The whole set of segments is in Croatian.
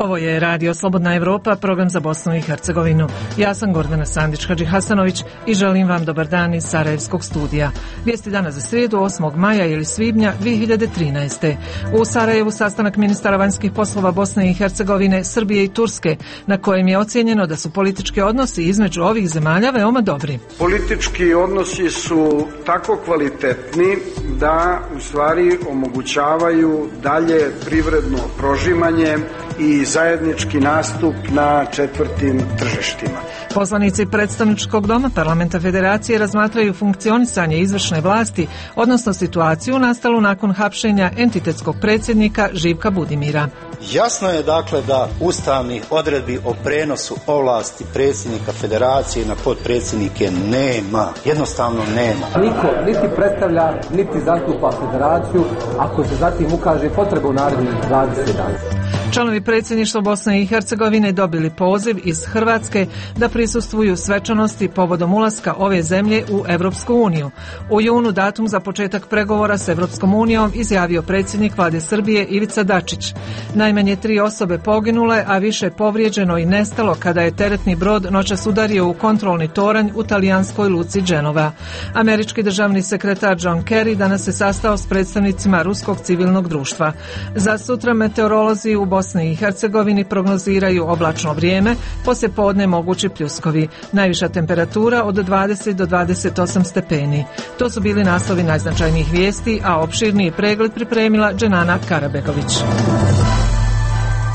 Ovo je Radio Slobodna Evropa, program za Bosnu i Hercegovinu. Ja sam Gordana Sandić-Hadžihasanović i želim vam dobar dan iz Sarajevskog studija. Vijesti danas za srijedu 8. maja ili svibnja 2013. U Sarajevu sastanak ministara vanjskih poslova Bosne i Hercegovine, Srbije i Turske, na kojem je ocijenjeno da su politički odnosi između ovih zemalja veoma dobri. Politički odnosi su tako kvalitetni da u stvari omogućavaju dalje privredno prožimanje i zajednički nastup na četvrtim tržištima. Poslanici predstavničkog doma Parlamenta Federacije razmatraju funkcionisanje izvršne vlasti, odnosno situaciju nastalu nakon hapšenja entitetskog predsjednika Živka Budimira. Jasno je dakle da ustavnih odredbi o prenosu ovlasti predsjednika Federacije na potpredsjednike nema. Jednostavno nema. Niko niti predstavlja, niti zastupa Federaciju ako se zatim ukaže potreba u narednih 20 dana. Članovi predsjedništva Bosne i Hercegovine dobili poziv iz Hrvatske da prisustvuju svečanosti povodom ulaska ove zemlje u Evropsku uniju. U junu datum za početak pregovora s Evropskom unijom izjavio predsjednik Vlade Srbije Ivica Dačić. Najmanje 3 osobe poginule, a više povrijeđeno i nestalo kada je teretni brod noćas udario u kontrolni toranj u talijanskoj luci Dženova. Američki državni sekretar John Kerry danas se sastao s predstavnicima ruskog civilnog društva. Za sutra meteorolozi u Bosni i Hercegovini prognoziraju oblačno vrijeme, poslijepodne mogući pljuskovi. Najviša temperatura od 20 do 28 stepeni. To su bili naslovi najznačajnijih vijesti, a opširniji pregled pripremila Dženana Karabegović.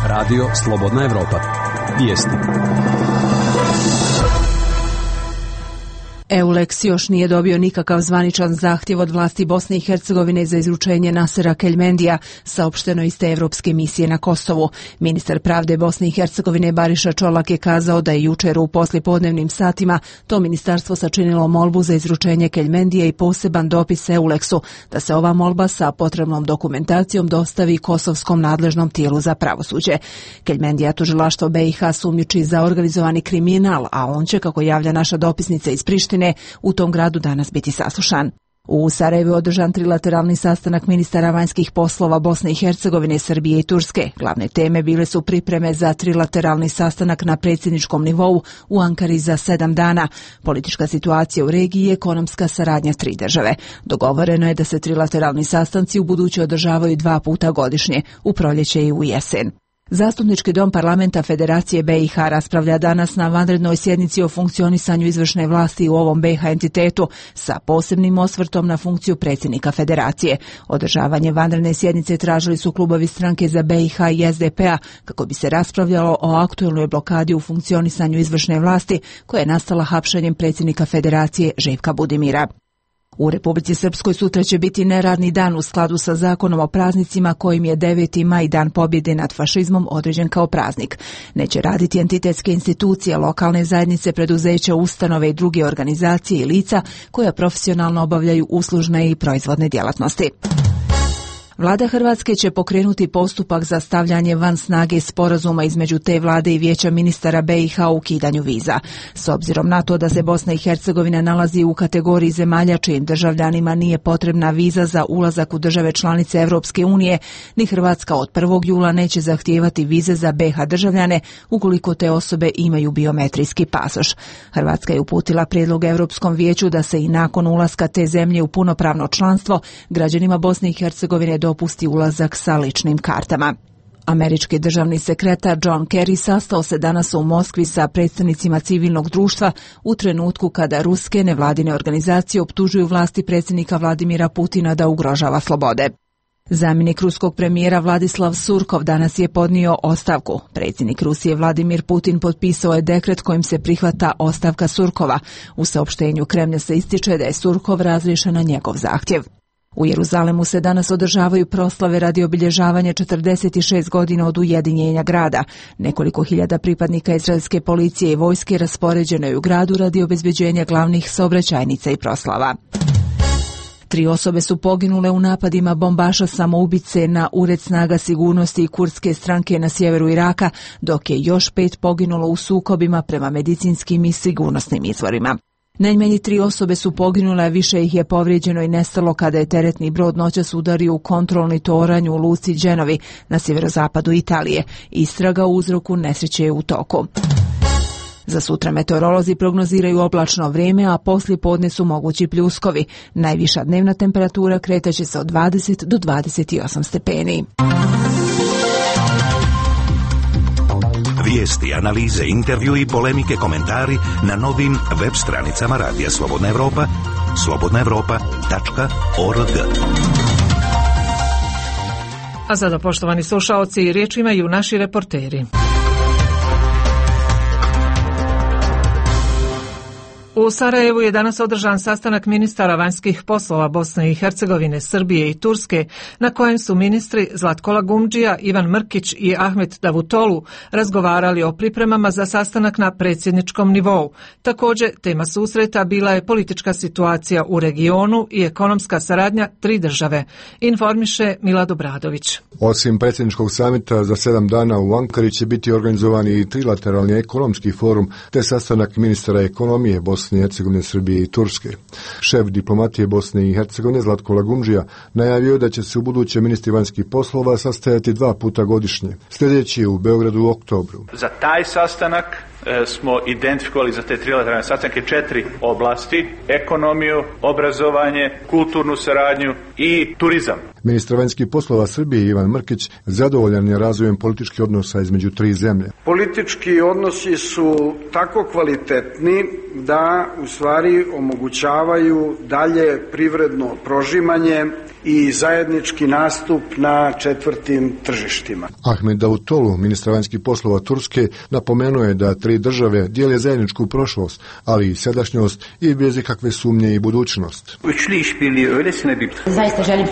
Radio Slobodna Evropa. Vijesti. EULEX još nije dobio nikakav zvaničan zahtjev od vlasti Bosne i Hercegovine za izručenje Nasera Keljmendija, saopšteno iz te evropske misije na Kosovu. Ministar pravde Bosne i Hercegovine Bariša Čolak je kazao da je jučer u poslijepodnevnim satima to ministarstvo sačinilo molbu za izručenje Keljmendija i poseban dopis EULEX-u, da se ova molba sa potrebnom dokumentacijom dostavi kosovskom nadležnom tijelu za pravosuđe. Keljmendija tužilaštvo BiH sumnjiči za organizovani kriminal, a on će, kako javlja naša dopisnica iz Prištine, u tom gradu danas biti saslušan. U Sarajevu je održan trilateralni sastanak ministara vanjskih poslova Bosne i Hercegovine, Srbije i Turske. Glavne teme bile su pripreme za trilateralni sastanak na predsjedničkom nivou u Ankari za 7 dana, politička situacija u regiji i ekonomska saradnja 3 države. Dogovoreno je da se trilateralni sastanci u buduće održavaju 2 puta godišnje, u proljeće i u jesen. Zastupnički dom Parlamenta Federacije BiH raspravlja danas na vanrednoj sjednici o funkcionisanju izvršne vlasti u ovom BiH entitetu sa posebnim osvrtom na funkciju predsjednika Federacije. Održavanje vanredne sjednice tražili su klubovi Stranke za BiH i SDP-a kako bi se raspravljalo o aktuelnoj blokadi u funkcionisanju izvršne vlasti koja je nastala hapšenjem predsjednika Federacije Živka Budimira. U Republici Srpskoj sutra će biti neradni dan u skladu sa zakonom o praznicima kojim je 9. maj dan pobjede nad fašizmom određen kao praznik. Neće raditi entitetske institucije, lokalne zajednice, preduzeća, ustanove i druge organizacije i lica koja profesionalno obavljaju uslužne i proizvodne djelatnosti. Vlada Hrvatske će pokrenuti postupak za stavljanje van snage sporazuma između te vlade i Vijeća ministara BiH o ukidanju viza. S obzirom na to da se Bosna i Hercegovina nalazi u kategoriji zemalja čijim državljanima nije potrebna viza za ulazak u države članice Evropske unije, ni Hrvatska od 1. jula neće zahtijevati vize za BiH državljane ukoliko te osobe imaju biometrijski pasoš. Hrvatska je uputila prijedlog Europskom vijeću da se i nakon ulaska te zemlje u punopravno članstvo građanima Bosne i Hercegovine dopusti ulazak sa ličnim kartama. Američki državni sekretar John Kerry sastao se danas u Moskvi sa predstavnicima civilnog društva u trenutku kada ruske nevladine organizacije optužuju vlasti predsjednika Vladimira Putina da ugrožava slobode. Zamjenik ruskog premijera Vladislav Surkov danas je podnio ostavku. Predsjednik Rusije Vladimir Putin potpisao je dekret kojim se prihvata ostavka Surkova. U saopštenju Kremlja se ističe da je Surkov razriješen na njegov zahtjev. U Jeruzalemu se danas održavaju proslave radi obilježavanja 46 godina od ujedinjenja grada. Nekoliko hiljada pripadnika izraelske policije i vojske raspoređeno je u gradu radi obezbeđenja glavnih saobraćajnica i proslava. 3 osobe su poginule u napadima bombaša samoubice na ured snaga sigurnosti i kurdske stranke na sjeveru Iraka, dok je još 5 poginulo u sukobima prema medicinskim i sigurnosnim izvorima. Najmanje 3 osobe su poginule, a više ih je povrijeđeno i nestalo kada je teretni brod noćas udario u kontrolni toranj u luci Genovi na sjeverozapadu Italije. Istraga o uzroku nesreće je u toku. Za sutra meteorolozi prognoziraju oblačno vrijeme, a poslije podne su mogući pljuskovi. Najviša dnevna temperatura kretaće se od 20 do 28 stepeni. Vijesti, analize, intervju i polemike, komentari na novim web stranicama Radija Slobodna Evropa, slobodnaevropa.org. A sada, poštovani slušaoci, riječ imaju naši reporteri. U Sarajevu je danas održan sastanak ministara vanjskih poslova Bosne i Hercegovine, Srbije i Turske, na kojem su ministri Zlatko Lagumdžija, Ivan Mrkić i Ahmet Davutolu razgovarali o pripremama za sastanak na predsjedničkom nivou. Također, tema susreta bila je politička situacija u regionu i ekonomska saradnja 3 države, informiše Milad Obradović. Osim predsjedničkog samita za 7 dana u Ankari će biti organizovan i trilateralni ekonomski forum te sastanak ministara ekonomije Bosne i Hercegovine, Srbije i Turske. Šef diplomatije Bosne i Hercegovine Zlatko Lagumdžija najavio da će se u buduće ministri vanjskih poslova sastajati 2 puta godišnje. Sljedeći je u Beogradu u oktobru. Za taj sastanak smo identifikovali za te trilateralne sastanke 4 oblasti: ekonomiju, obrazovanje, kulturnu saradnju i turizam. Ministar vanjskih poslova Srbije Ivan Mrkić zadovoljan je razvojem političkih odnosa između 3 zemlje. Politički odnosi su tako kvalitetni da u stvari omogućavaju dalje privredno prožimanje i zajednički nastup na 4. tržištima. Ahmet Davutolu, ministar vanjskih poslova Turske, napomenuo je da 3 države dijele zajedničku prošlost, ali i sadašnjost i bez ikakve sumnje i budućnost. Zaista želim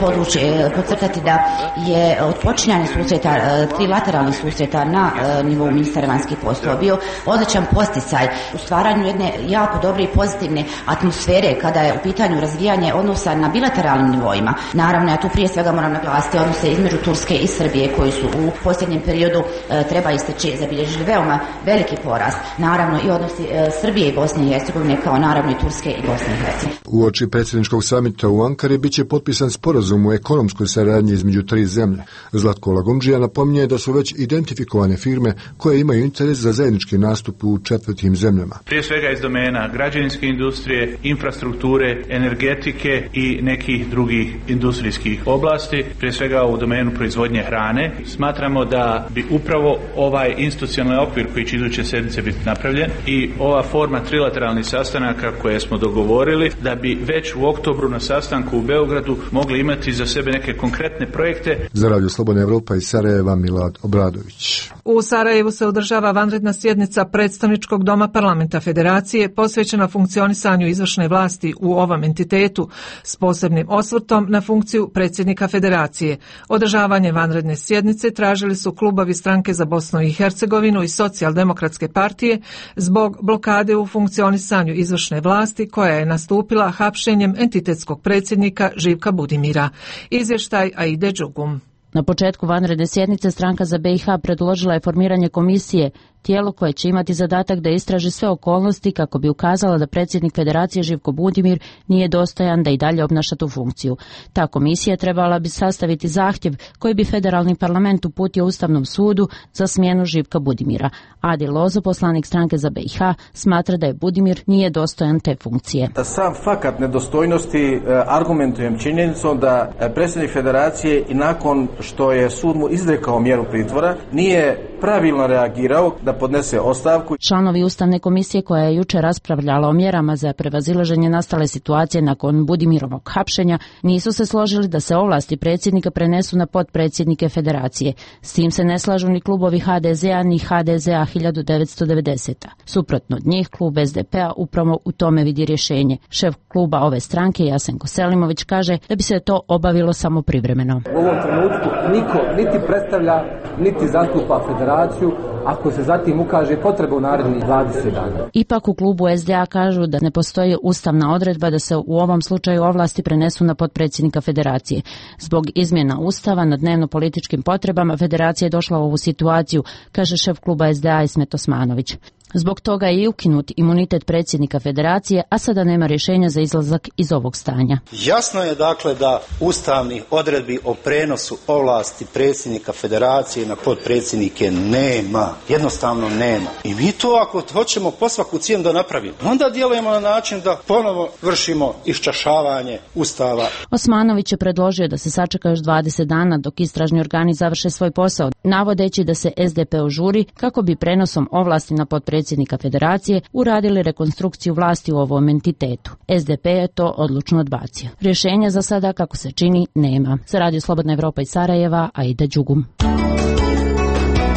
podcrtati da je od počinjanja susreta, trilateralnih susreta na nivou ministara vanjskih poslova bio odličan posticaj u stvaranju jedne jako dobre i pozitivne atmosfere kada je u pitanju razvijanje odnosa na bilateralnim nivoima. Naravno, ja tu prije svega moram naglasiti odnose između Turske i Srbije koji su u posljednjem periodu, treba istaći, zabilježili veoma veliki porast. Naravno i odnosi Srbije i Bosne i Hercegovine kao naravno i Turske i Bosne i Hercegovine. Uoči predsjedničkog samita u Ankari biće potpisan sporazum o ekonomskoj saradnji između 3 zemlje. Zlatko Lagumdžija napominje da su već identifikovane firme koje imaju interes za zajednički nastup u 4. zemljama. Prije svega iz domena građevinske industrije, infrastrukture, energetike i nekih drugih industrijskih oblasti, prije svega u domenu proizvodnje hrane. Smatramo da bi upravo ovaj institucionalni okvir koji će iduće sedmice biti napravljen i ova forma trilateralnih sastanaka koje smo dogovorili, da bi već u oktobru na sastanku u Beogradu mogli imati za sebe neke konkretne projekte. Za Radio Slobodna Evropa iz Sarajeva, Milad Obradović. U Sarajevu se održava vanredna sjednica Predstavničkog doma Parlamenta Federacije posvećena funkcionisanju izvršne vlasti u ovom entitetu s posebnim osvrtom na funkciju predsjednika Federacije. Održavanje vanredne sjednice tražili su klubovi Stranke za Bosnu i Hercegovinu i Socijaldemokratske partije zbog blokade u funkcionisanju izvršne vlasti koja je nastupila hapšenjem entitetskog predsjednika Živka Budimira. Izvještaj Aide Đugum. Na početku vanredne sjednice Stranka za BiH predložila je formiranje komisije, tijelo koje će imati zadatak da istraži sve okolnosti kako bi ukazala da predsjednik Federacije Živko Budimir nije dostojan da i dalje obnaša tu funkciju. Ta komisija trebala bi sastaviti zahtjev koji bi federalni parlament uputio Ustavnom sudu za smjenu Živka Budimira. Adi Lozo, poslanik Stranke za BiH, smatra da je Budimir nije dostojan te funkcije. Sam fakat nedostojnosti argumentujem činjenicom da predsjednik Federacije i nakon što je sud mu izrekao mjeru pritvora nije pravilno reagirao da podnese ostavku. Članovi Ustavne komisije koja je jučer raspravljala o mjerama za prevazilaženje nastale situacije nakon Budimirovog hapšenja nisu se složili da se ovlasti predsjednika prenesu na potpredsjednike Federacije. S tim se ne slažu ni klubovi HDZ-a ni HDZ-a 1990. Suprotno od njih, klub SDP-a upravo u tome vidi rješenje. Šef kluba ove stranke Jasenko Selimović kaže da bi se to obavilo samo privremeno. U ovom trenutku niko niti predstavlja niti zastupa Federaciju ako se zatim ukaže potreba u narednih 20 dana. Ipak u klubu SDA kažu da ne postoji ustavna odredba da se u ovom slučaju ovlasti prenesu na potpredsjednika Federacije. Zbog izmjena Ustava na dnevno-političkim potrebama Federacija je došla u ovu situaciju, kaže šef kluba SDA Ismet Osmanović. Zbog toga je i ukinut imunitet predsjednika federacije, a sada nema rješenja za izlazak iz ovog stanja. Jasno je dakle da ustavnih odredbi o prenosu ovlasti predsjednika federacije na potpredsjednike nema. Jednostavno nema. I mi to ako hoćemo po svaku cijenu da napravimo, onda djelujemo na način da ponovo vršimo iščašavanje Ustava. Osmanović je predložio da se sačeka još 20 dana dok istražni organi završe svoj posao, navodeći da se SDP žuri kako bi prenosom ovlasti na potpredsjednika federacije uradili rekonstrukciju vlasti u ovom entitetu. SDP je to odlučno odbacio. Rješenja za sada, kako se čini, nema. Za Radio Slobodna Evropa iz Sarajeva, Aida Đugum.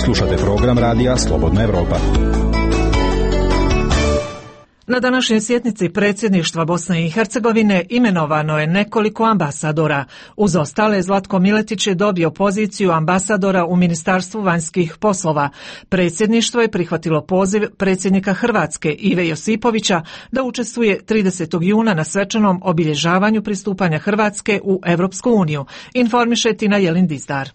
Slušate program radija Slobodna Evropa. Na današnjoj sjednici predsjedništva Bosne i Hercegovine imenovano je nekoliko ambasadora. Uz ostale, Zlatko Miletić je dobio poziciju ambasadora u Ministarstvu vanjskih poslova. Predsjedništvo je prihvatilo poziv predsjednika Hrvatske Ive Josipovića da učestvuje 30. juna na svečanom obilježavanju pristupanja Hrvatske u Europsku uniju, informiše Tina Jelin Dizdar.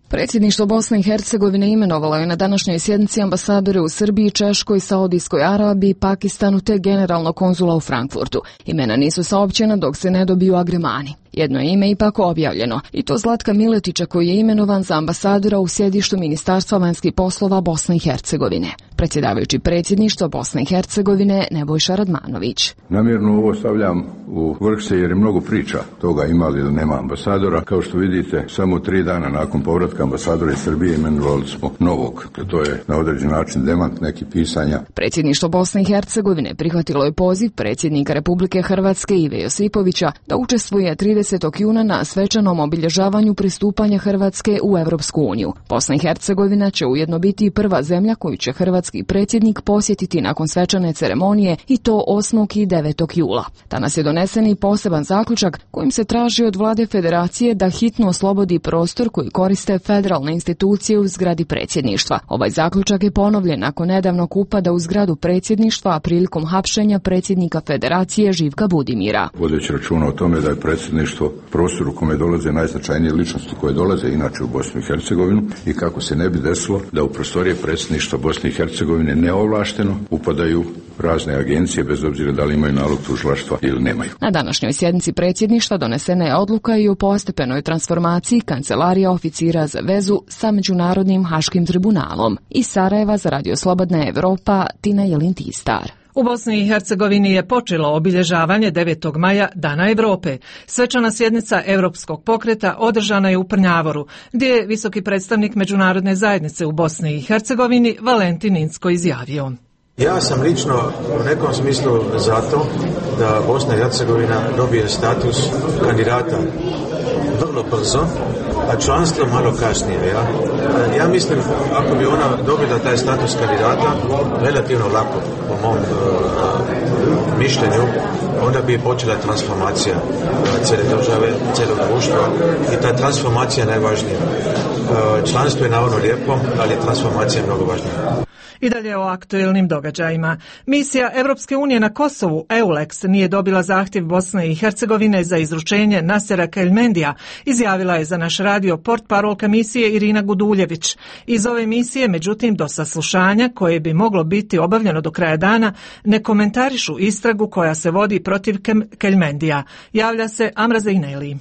Predsjedništvo Bosne i Hercegovine imenovalo je na današnjoj sjednici ambasadore u Srbiji, Češkoj, Saudijskoj Arabiji, Pakistanu te generalnog konzula u Frankfurtu. Imena nisu saopćena dok se ne dobiju agremani. Jedno je ime ipak objavljeno, i to Zlatka Miletića koji je imenovan za ambasadora u sjedištu Ministarstva vanjskih poslova Bosne i Hercegovine. Predsjedavajući predsjedništva Bosne i Hercegovine Nebojša Radmanović. Namjerno ovo stavljam u vrh se jer je mnogo priča toga ima li ili nema ambasadora. Kao što vidite, samo 3 dana nakon povratka ambasadora iz Srbije imenovali smo novog. To je na određen način demant nekih pisanja. Predsjedništvo Bosne i Hercegovine prihvatilo je poziv predsjednika Republike Hrvatske Ive Josipovića da učestvuje 30. juna na svečanom obilježavanju pristupanja Hrvatske u Europsku uniju. Bosna i Hercegovina će ujedno biti prva zemlja koju će hrvatski predsjednik posjetiti nakon svečane ceremonije, i to 8. i 9. jula. Danas je donesen i poseban zaključak kojim se traži od vlade federacije da hitno oslobodi prostor koji koriste federalne institucije u zgradi predsjedništva. Ovaj zaključak je ponovljen nakon nedavnog upada u zgradu predsjedništva, a prilikom hapšenja predsjednika federacije Živka Budimira. Vodeći računa o tome da je predsjedništvo prostor u kome dolaze najznačajnije ličnosti koje dolaze inače u Bosnu i Hercegovinu, i kako se ne bi desilo da u prostorije predsjedništva Bosne i Hercegovine neovlašteno upadaju razne agencije bez obzira da li imaju nalog tužilaštva ili nemaju. Na današnjoj sjednici predsjedništva donesena je odluka i o postepenoj transformaciji Kancelarija oficira za vezu sa Međunarodnim haškim tribunalom. Iz Sarajeva za Radio Slobodna Evropa, Tina Jelin Tistar. U Bosni i Hercegovini je počelo obilježavanje 9. maja Dana Evrope. Svečana sjednica Europskog pokreta održana je u Prnjavoru, gdje je visoki predstavnik međunarodne zajednice u Bosni i Hercegovini Valentin Incko izjavio. Ja sam lično u nekom smislu zato da Bosna i Hercegovina dobije status kandidata vrlo brzo, a članstvo malo kasnije. Ja mislim, ako bi ona dobila taj status kandidata relativno lako, po mom mišljenju, onda bi počela transformacija cijele države, cijelog društva, i ta transformacija je najvažnija. Članstvo je naravno lijepo, ali transformacija je mnogo važnija. I dalje o aktuelnim događajima. Misija Europske unije na Kosovu, EULEX, nije dobila zahtjev Bosne i Hercegovine za izručenje Nasera Keljmendija, izjavila je za naš radio portparolka misije Irina Guduljević. Iz ove misije, međutim, do saslušanja, koje bi moglo biti obavljeno do kraja dana, ne komentarišu istragu koja se vodi protiv Keljmendija. Javlja se Amra Zejneli.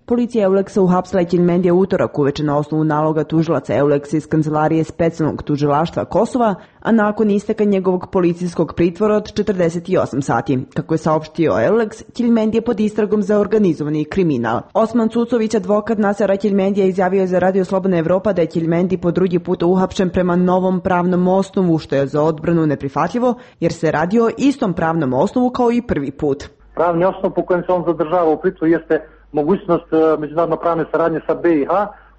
Policija EULEX-a uhapsila je Keljmendija utorak uveče na osnovu naloga tužilaca EULEX iz kancelarije specijalnog tužilaštva Kosova, a nakon isteka njegovog policijskog pritvora od 48 sati. Kako je saopštio EULEX, Keljmendija je pod istragom za organizovani kriminal. Osman Cucović, advokat Nasera Keljmendija, izjavio je za Radio Slobodna Evropa da je Keljmendij po drugi put uhapšen prema novom pravnom osnovu, što je za odbranu neprihvatljivo, jer se radi o istom pravnom osnovu kao i prvi put. Pravni osnov po kojem se on zadržava u pritvoru jeste mogućnost međunarodno pravne saradnje sa BiH,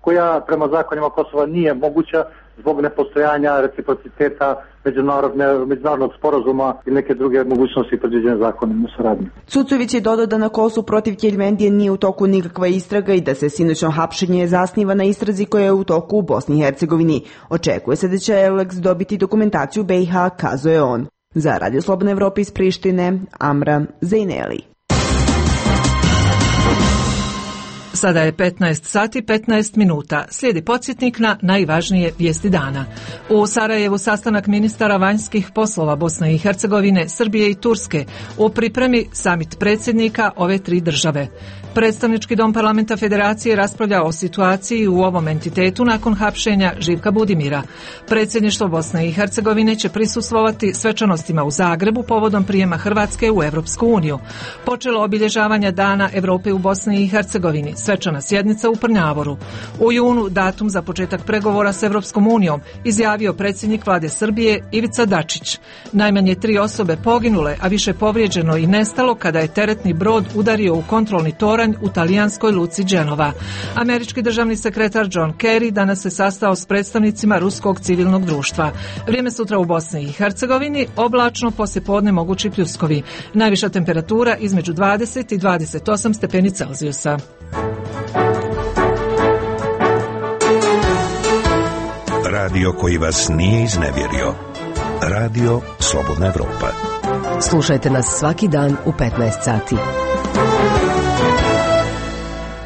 koja prema zakonima Kosova nije moguća zbog nepostojanja reciprociteta međunarodnog sporazuma i neke druge mogućnosti predviđene zakonom o saradnji. Cucović je dodao da na Kosovu protiv Keljmendije nije u toku nikakva istraga i da se sinoćno hapšenje zasniva na istrazi koja je u toku u Bosni i Hercegovini. Očekuje se da će EULEX dobiti dokumentaciju BiH, kazuje on. Za Radio Slobodna Evropa iz Prištine, Amra Zejneli. Sada je 15 sati 15 minuta. Slijedi podsjetnik na najvažnije vijesti dana. U Sarajevu sastanak ministara vanjskih poslova Bosne i Hercegovine, Srbije i Turske. U pripremi samit predsjednika ove tri države. Predstavnički dom parlamenta Federacije raspravlja o situaciji u ovom entitetu nakon hapšenja Živka Budimira. Predsjedništvo Bosne i Hercegovine će prisustvovati svečanostima u Zagrebu povodom prijema Hrvatske u Evropsku uniju. Počelo obilježavanja Dana Europe u Bosni i Hercegovini, svečana sjednica u Prnjavoru. U junu datum za početak pregovora s Evropskom unijom izjavio predsjednik vlade Srbije Ivica Dačić. Najmanje 3 osobe poginule, a više povrijeđeno i nestalo kada je teretni brod udario u kontrolni toranj u talijanskoj luci Genova. Američki državni sekretar John Kerry danas se sastao s predstavnicima ruskog civilnog društva. Vrijeme sutra u Bosni i Hercegovini, oblačno, poslijepodne mogući pljuskovi. Najviša temperatura između 20 i 28 stepeni Celzijusa. Radio koji vas nije iznevjerio. Radio Slobodna Evropa. Slušajte nas svaki dan u 15 sati.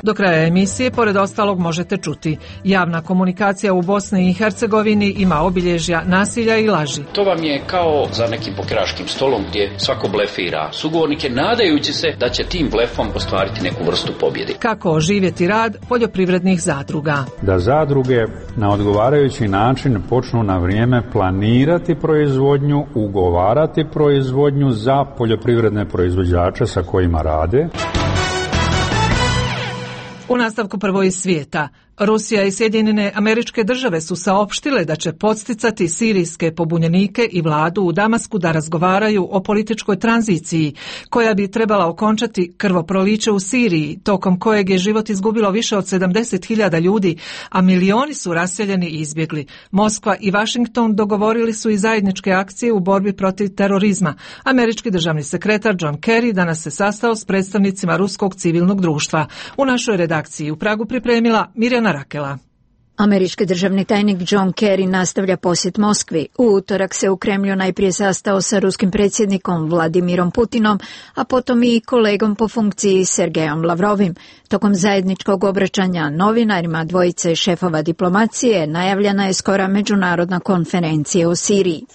Do kraja emisije, pored ostalog, možete čuti: javna komunikacija u Bosni i Hercegovini ima obilježja nasilja i laži. To vam je kao za nekim pokeraškim stolom gdje svako blefira sugovornike, nadajući se da će tim blefom ostvariti neku vrstu pobjede. Kako oživjeti rad poljoprivrednih zadruga? Da zadruge na odgovarajući način počnu na vrijeme planirati proizvodnju, ugovarati proizvodnju za poljoprivredne proizvođače sa kojima rade. U nastavku prvo iz svijeta. Rusija i Sjedinjene Američke Države su saopštile da će podsticati sirijske pobunjenike i vladu u Damasku da razgovaraju o političkoj tranziciji koja bi trebala okončati krvoproliće u Siriji, tokom kojeg je život izgubilo više od 70.000 ljudi, a milioni su raseljeni i izbjegli. Moskva i Washington dogovorili su i zajedničke akcije u borbi protiv terorizma. Američki državni sekretar John Kerry danas se sastao s predstavnicima ruskog civilnog društva. U našoj redakciji u Pragu pripremila Mirjana Rakela. Američki državni tajnik John Kerry nastavlja posjet Moskvi. U utorak se u Kremlju najprije sastao sa ruskim predsjednikom Vladimirom Putinom, a potom i kolegom po funkciji Sergejom Lavrovim. Tokom zajedničkog obraćanja novinarima dvojice šefova diplomacije najavljena je skora međunarodna konferencija o Siriji.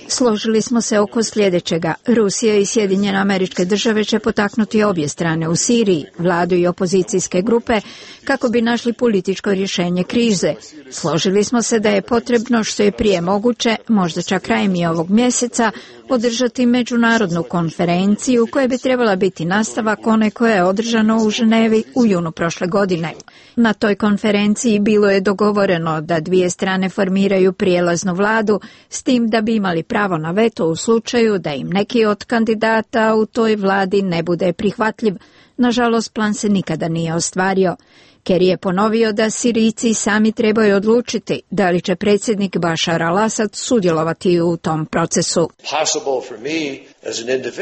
Složili smo se oko sljedećega. Rusija i Sjedinjene Američke Države će potaknuti obje strane u Siriji, vladu i opozicijske grupe, kako bi našli političko rješenje krize. Složili smo se da je potrebno što je prije moguće, možda čak krajem i ovog mjeseca, održati međunarodnu konferenciju koja bi trebala biti nastavak one koja je održano u Ženevi u junu prošle godine. Na toj konferenciji bilo je dogovoreno da dvije strane formiraju prijelaznu vladu, s tim da bi imali pravo na veto u slučaju da im neki od kandidata u toj vladi ne bude prihvatljiv. Nažalost, plan se nikada nije ostvario. Kerry je ponovio da Sirijci sami trebaju odlučiti da li će predsjednik Bashar al-Assad sudjelovati u tom procesu.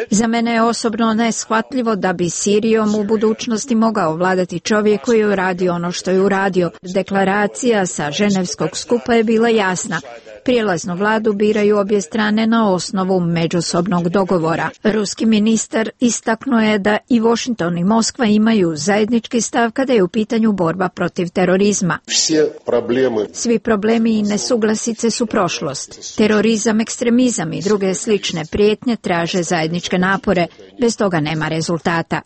Za mene je osobno neshvatljivo da bi Sirijom u budućnosti mogao vladati čovjek koji je uradio ono što je uradio. Deklaracija sa ženevskog skupa je bila jasna. Prijelaznu vladu biraju obje strane na osnovu međusobnog dogovora. Ruski ministar istaknuo je da i Washington i Moskva imaju zajednički stav kada je u pitanju borba protiv terorizma. Svi problemi i nesuglasice su prošlost. Terorizam, ekstremizam i druge slične prijetnje traže zajedničke napore. Bez toga nema rezultata.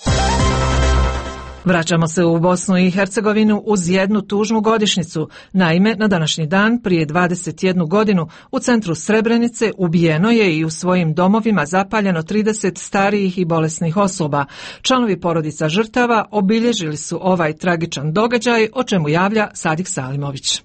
Vraćamo se u Bosnu i Hercegovinu uz jednu tužnu godišnjicu. Naime, na današnji dan, prije 21 godinu, u centru Srebrenice ubijeno je i u svojim domovima zapaljeno 30 starijih i bolesnih osoba. Članovi porodica žrtava obilježili su ovaj tragičan događaj, o čemu javlja Sadik Salimović.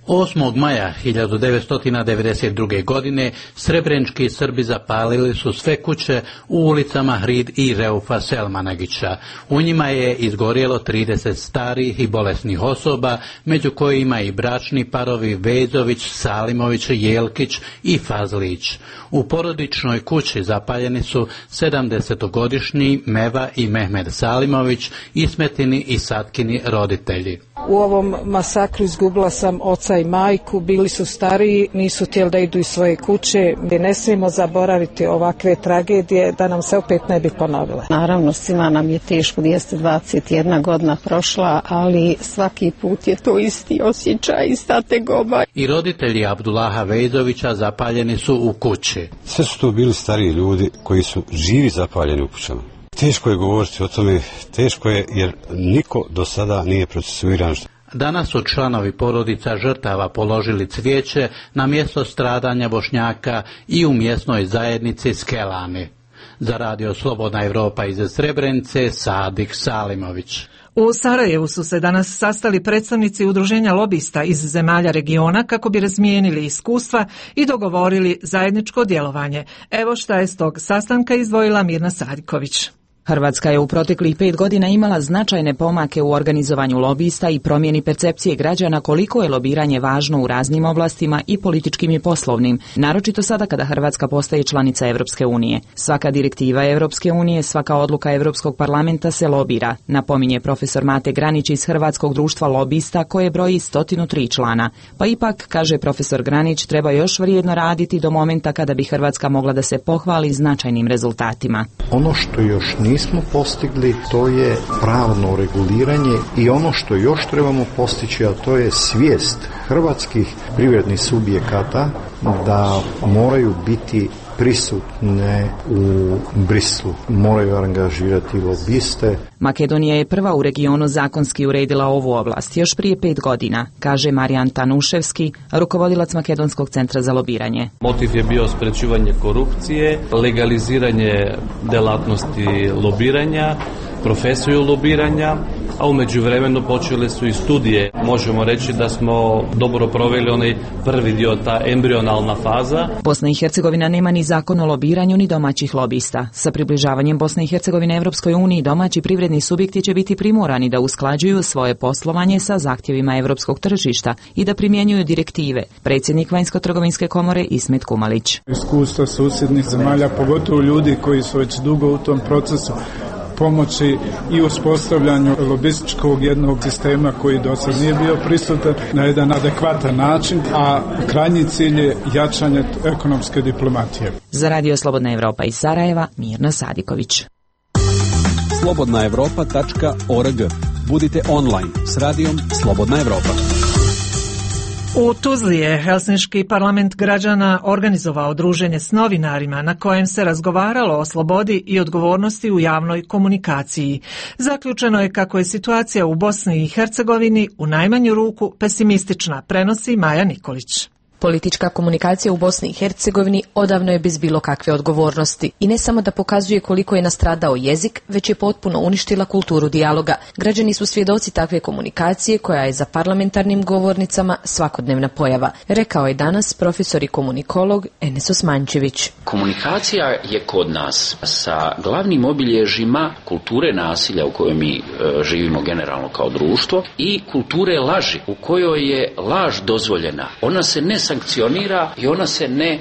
8. maja 1992. godine srebrenički Srbi zapalili su sve kuće u ulicama Hrid i Reufa Selmanagića. U njima je izgorjelo 30 starih i bolesnih osoba, među kojima i bračni parovi Vezović, Salimović, Jelkić i Fazlić. U porodičnoj kući zapaljeni su 70-godišnji Meva i Mehmed Salimović, Ismetini i Satkini roditelji. U ovom masakru izgubila sam oca oca i majku, bili su stariji, nisu htjeli da idu iz svoje kuće. Ne smijemo zaboraviti ovakve tragedije da nam se opet ne bi ponovile. Naravno, svima nam je teško, 221 godina prošla, ali svaki put je to isti osjećaj, ista tegoba. I roditelji Abdullaha Vejdovića zapaljeni su u kući. Sve su to bili stariji ljudi koji su živi zapaljeni u kućama. Teško je govoriti o tome, teško je jer niko do sada nije procesuiran. Danas su članovi porodica žrtava položili cvijeće na mjesto stradanja Bošnjaka i u mjesnoj zajednici Skelani. Za Radio Slobodna Evropa iz Srebrenice, Sadik Salimović. U Sarajevu su se danas sastali predstavnici udruženja lobista iz zemalja regiona kako bi razmijenili iskustva i dogovorili zajedničko djelovanje. Evo šta je s tog sastanka izdvojila Mirna Sadiković. Hrvatska je u proteklih 5 godina imala značajne pomake u organizovanju lobista i promjeni percepcije građana koliko je lobiranje važno u raznim oblastima i političkim i poslovnim, naročito sada kada Hrvatska postaje članica Europske unije. Svaka direktiva Europske unije, svaka odluka Europskog parlamenta se lobira, napominje profesor Mate Granić iz Hrvatskog društva lobista koje broji 103 člana. Pa ipak, kaže profesor Granić, treba još vrijedno raditi do momenta kada bi Hrvatska mogla da se pohvali značajnim rezultatima. Ono što još nismo postigli, to je pravno reguliranje i ono što još trebamo postići, a to je svijest hrvatskih privrednih subjekata da moraju biti prisutne u Brislu, moraju angažirati lobiste. Makedonija je prva u regionu zakonski uredila ovu oblast još prije 5 godina, kaže Marijan Tanuševski, rukovodilac Makedonskog centra za lobiranje. Motiv je bio sprečivanje korupcije, legaliziranje delatnosti lobiranja, profesiju lobiranja, a u međuvremenu počele su i studije. Možemo reći da smo dobro proveli onaj prvi dio, ta embrionalna faza. Bosna i Hercegovina nema ni zakon o lobiranju ni domaćih lobista. Sa približavanjem Bosne i Hercegovine Evropskoj uniji domaći privredni subjekti će biti primorani da usklađuju svoje poslovanje sa zahtjevima europskog tržišta i da primjenjuju direktive. Predsjednik Vanjsko-trgovinske komore Ismet Kumalić. Iskustva susjednih zemalja, pogotovo ljudi koji su već dugo u tom procesu, pomoći i uspostavljanju lobističkog jednog sistema koji do sad nije bio prisutan na jedan adekvatan način, a krajnji cilj je jačanje ekonomske diplomatije. Za Radio Slobodna Evropa iz Sarajeva, Mirna Sadiković. slobodnaevropa.org. Budite online s radijom Slobodna Evropa. U Tuzli je Helsinški parlament građana organizovao druženje s novinarima na kojem se razgovaralo o slobodi i odgovornosti u javnoj komunikaciji. Zaključeno je kako je situacija u Bosni i Hercegovini u najmanju ruku pesimistična, prenosi Maja Nikolić. Politička komunikacija u Bosni i Hercegovini odavno je bez bilo kakve odgovornosti i ne samo da pokazuje koliko je nastradao jezik, već je potpuno uništila kulturu dijaloga. Građani su svjedoci takve komunikacije koja je za parlamentarnim govornicama svakodnevna pojava, rekao je danas profesor i komunikolog Enes Osmančević. Komunikacija je kod nas sa glavnim obilježjima kulture nasilja u kojoj mi živimo generalno kao društvo i kulture laži u kojoj je laž dozvoljena. Ona se ne sankcionira i ona se ne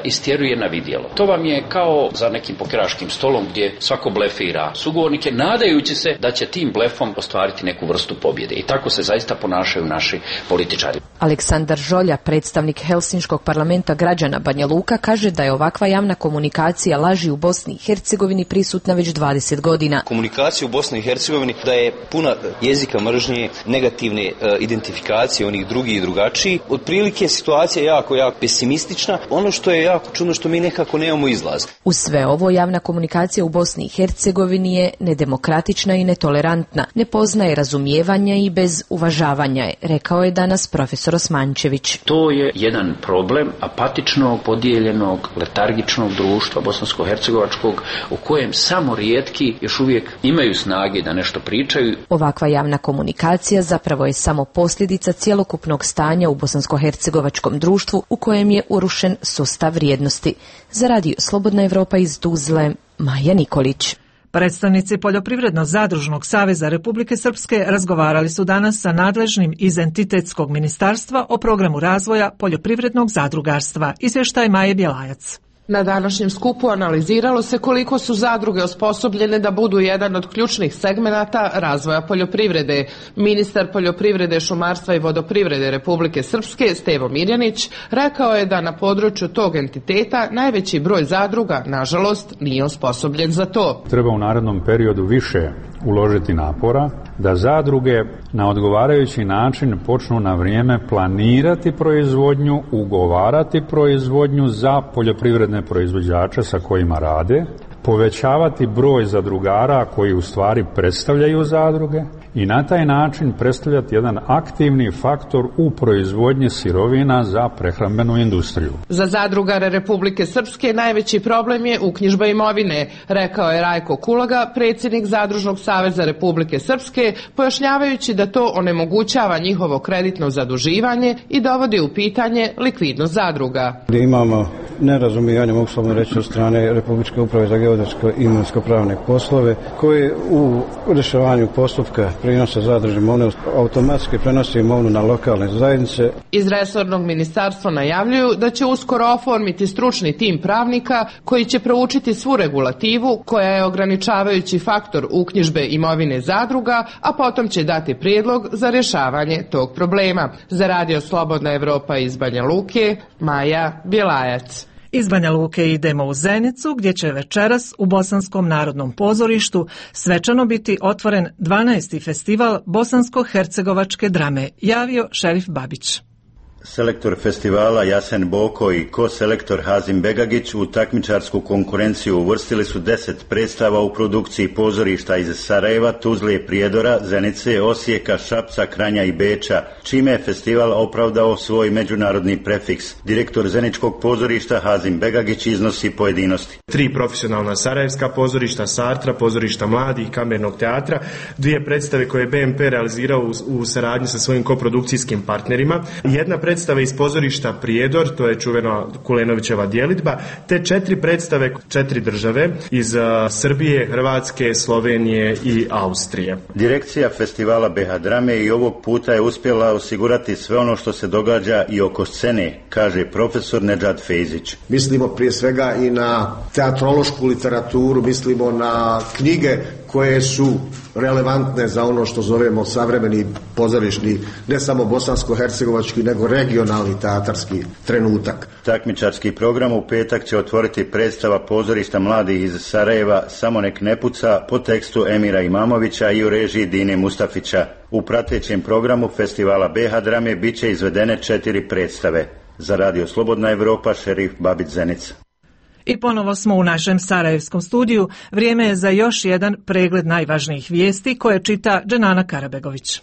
istjeruje na vidjelo. To vam je kao za nekim pokeraškim stolom gdje svako blefira sugovornike nadajući se da će tim blefom ostvariti neku vrstu pobjede. I tako se zaista ponašaju naši političari. Aleksandar Žolja, predstavnik Helsinškog parlamenta građana Banja Luka, kaže da je ovakva javna komunikacija laži u Bosni i Hercegovini prisutna već 20 godina. Komunikacija u Bosni i Hercegovini da je puna jezika mržnje, negativne identifikacije onih drugi i drugačiji. Otprilike situacija je jako pesimistična. Ono što je jako čudno što mi nekako nemamo izlaz. Uz sve ovo, javna komunikacija u Bosni i Hercegovini je nedemokratična i netolerantna, ne poznaje razumijevanja i bez uvažavanja je, rekao je danas profesor Osmančević. To je jedan problem apatičnog, podijeljenog, letargičnog društva bosansko-hercegovačkog u kojem samo rijetki još uvijek imaju snage da nešto pričaju. Ovakva javna komunikacija zapravo je samo posljedica cjelokupnog stanja u bosansko-hercegovačkom društvu u kojem je urušen sustav vrijednosti. Za Radio Slobodna Evropa iz Tuzle, Maja Nikolić. Predstavnici Poljoprivredno-zadružnog saveza Republike Srpske razgovarali su danas sa nadležnim iz entitetskog ministarstva o programu razvoja poljoprivrednog zadrugarstva. Izvještaj Maje Bjelajac. Na današnjem skupu analiziralo se koliko su zadruge osposobljene da budu jedan od ključnih segmenata razvoja poljoprivrede. Ministar poljoprivrede, šumarstva i vodoprivrede Republike Srpske, Stevo Mirjanić, rekao je da na području tog entiteta najveći broj zadruga, nažalost, nije osposobljen za to. Treba u narednom periodu više uložiti napora da zadruge na odgovarajući način počnu na vrijeme planirati proizvodnju, ugovarati proizvodnju za poljoprivredne proizvođače sa kojima rade, povećavati broj zadrugara koji u stvari predstavljaju zadruge i na taj način predstavljati jedan aktivni faktor u proizvodnji sirovina za prehrambenu industriju. Za zadrugare Republike Srpske najveći problem je uknjižba imovine, rekao je Rajko Kulaga, predsjednik Zadružnog saveza Republike Srpske, pojašnjavajući da to onemogućava njihovo kreditno zaduživanje i dovodi u pitanje likvidnost zadruga. Imamo nerazumijevanje, mogu slobodno reći, od strane Republičke uprave za geodetsko i imovinsko-pravne poslove, koji u rješavanju postupka prinosa zadružne imovine automatski prenosi imovinu na lokalne zajednice. Iz resornog ministarstva najavljuju da će uskoro oformiti stručni tim pravnika koji će proučiti svu regulativu koja je ograničavajući faktor uknjižbe imovine zadruga, a potom će dati prijedlog za rješavanje tog problema. Za Radio Slobodna Evropa iz Banja Luke, Maja Bjelajac. Iz Banja Luke idemo u Zenicu, gdje će večeras u Bosanskom narodnom pozorištu svečano biti otvoren 12. festival bosansko-hercegovačke drame, javio Šerif Babić. Selektor festivala Jasen Boko i ko-selektor Hazim Begagić u takmičarsku konkurenciju uvrstili su 10 predstava u produkciji pozorišta iz Sarajeva, Tuzle, Prijedora, Zenice, Osijeka, Šapca, Kranja i Beča, čime je festival opravdao svoj međunarodni prefiks. Direktor Zeničkog pozorišta Hazim Begagić iznosi pojedinosti. 3 profesionalna sarajevska pozorišta, Sartra, pozorišta mladih, kamernog teatra, 2 predstave koje je BMP realizirao u saradnji sa svojim koprodukcijskim partnerima, jedna predstava iz pozorišta Prijedor, to je čuvena Kulenovićeva djelidba, te 4 predstave 4 države iz Srbije, Hrvatske, Slovenije i Austrije. Direkcija festivala BH Drame i ovog puta je uspjela osigurati sve ono što se događa i oko scene, kaže profesor Nedžad Fejzić. Mislimo prije svega i na teatrološku literaturu, mislimo na knjige koje su relevantne za ono što zovemo savremeni pozorišni, ne samo bosansko-hercegovački, nego regionalni teatarski trenutak. Takmičarski program u petak će otvoriti predstava pozorišta mladih iz Sarajeva Samo nek ne puca po tekstu Emira Imamovića i u režiji Dine Mustafića. U pratećem programu festivala BH Drame bit će izvedene 4 predstave. Za Radio Slobodna Evropa, Šerif Babić, Zenica. I ponovo smo u našem sarajevskom studiju. Vrijeme je za još jedan pregled najvažnijih vijesti koje čita Dženana Karabegović.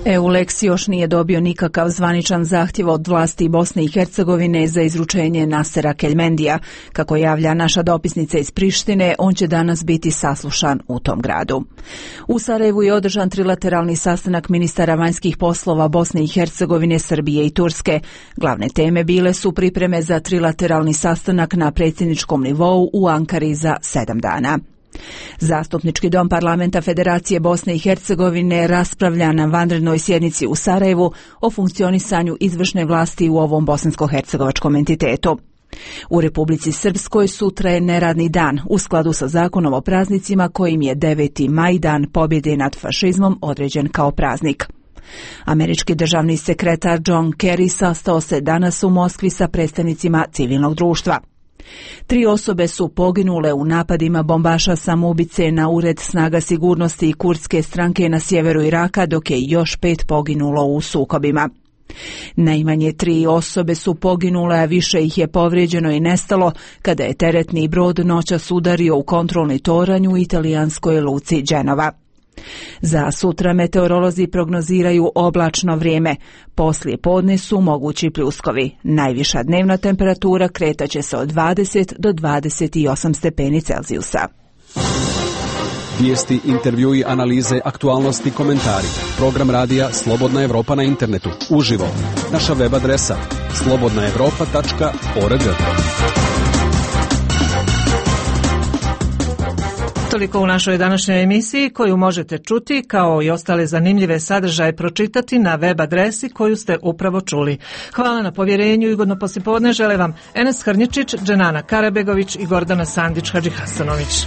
EULEX još nije dobio nikakav zvaničan zahtjev od vlasti Bosne i Hercegovine za izručenje Nasera Keljmendija. Kako javlja naša dopisnica iz Prištine, on će danas biti saslušan u tom gradu. U Sarajevu je održan trilateralni sastanak ministara vanjskih poslova Bosne i Hercegovine, Srbije i Turske. Glavne teme bile su pripreme za trilateralni sastanak na predsjedničkom nivou u Ankari za 7 dana. Zastupnički dom parlamenta Federacije Bosne i Hercegovine raspravlja na vanrednoj sjednici u Sarajevu o funkcionisanju izvršne vlasti u ovom bosansko-hercegovačkom entitetu. U Republici Srpskoj sutra je neradni dan u skladu sa zakonom o praznicima kojim je 9. maj, dan pobjede nad fašizmom, određen kao praznik. Američki državni sekretar John Kerry sastao se danas u Moskvi sa predstavnicima civilnog društva. 3 osobe su poginule u napadima bombaša samoubice na ured snaga sigurnosti i kurdske stranke na sjeveru Iraka, dok je još 5 poginulo u sukobima. Najmanje 3 osobe su poginule, a više ih je povrijeđeno i nestalo kada je teretni brod noćas udario u kontrolni toranj u italijanskoj luci Dženova. Za sutra meteorolozi prognoziraju oblačno vrijeme. Poslije podne su mogući pljuskovi. Najviša dnevna temperatura kretaće se od 20 do 28 stepeni Celzijusa. Vijesti, intervjui, analize, aktualnosti, komentari. Program radija Slobodna Evropa na internetu. Uživo. Naša web adresa slobodnaevropa.org. toliko u našoj današnjoj emisiji koju možete čuti kao i ostale zanimljive sadržaje pročitati na web adresi koju ste upravo čuli. Hvala na povjerenju i ugodno poslijepodne žele vam Enes Hrnjičić, Dženana Karabegović i Gordana Sandić Hadžihasanović.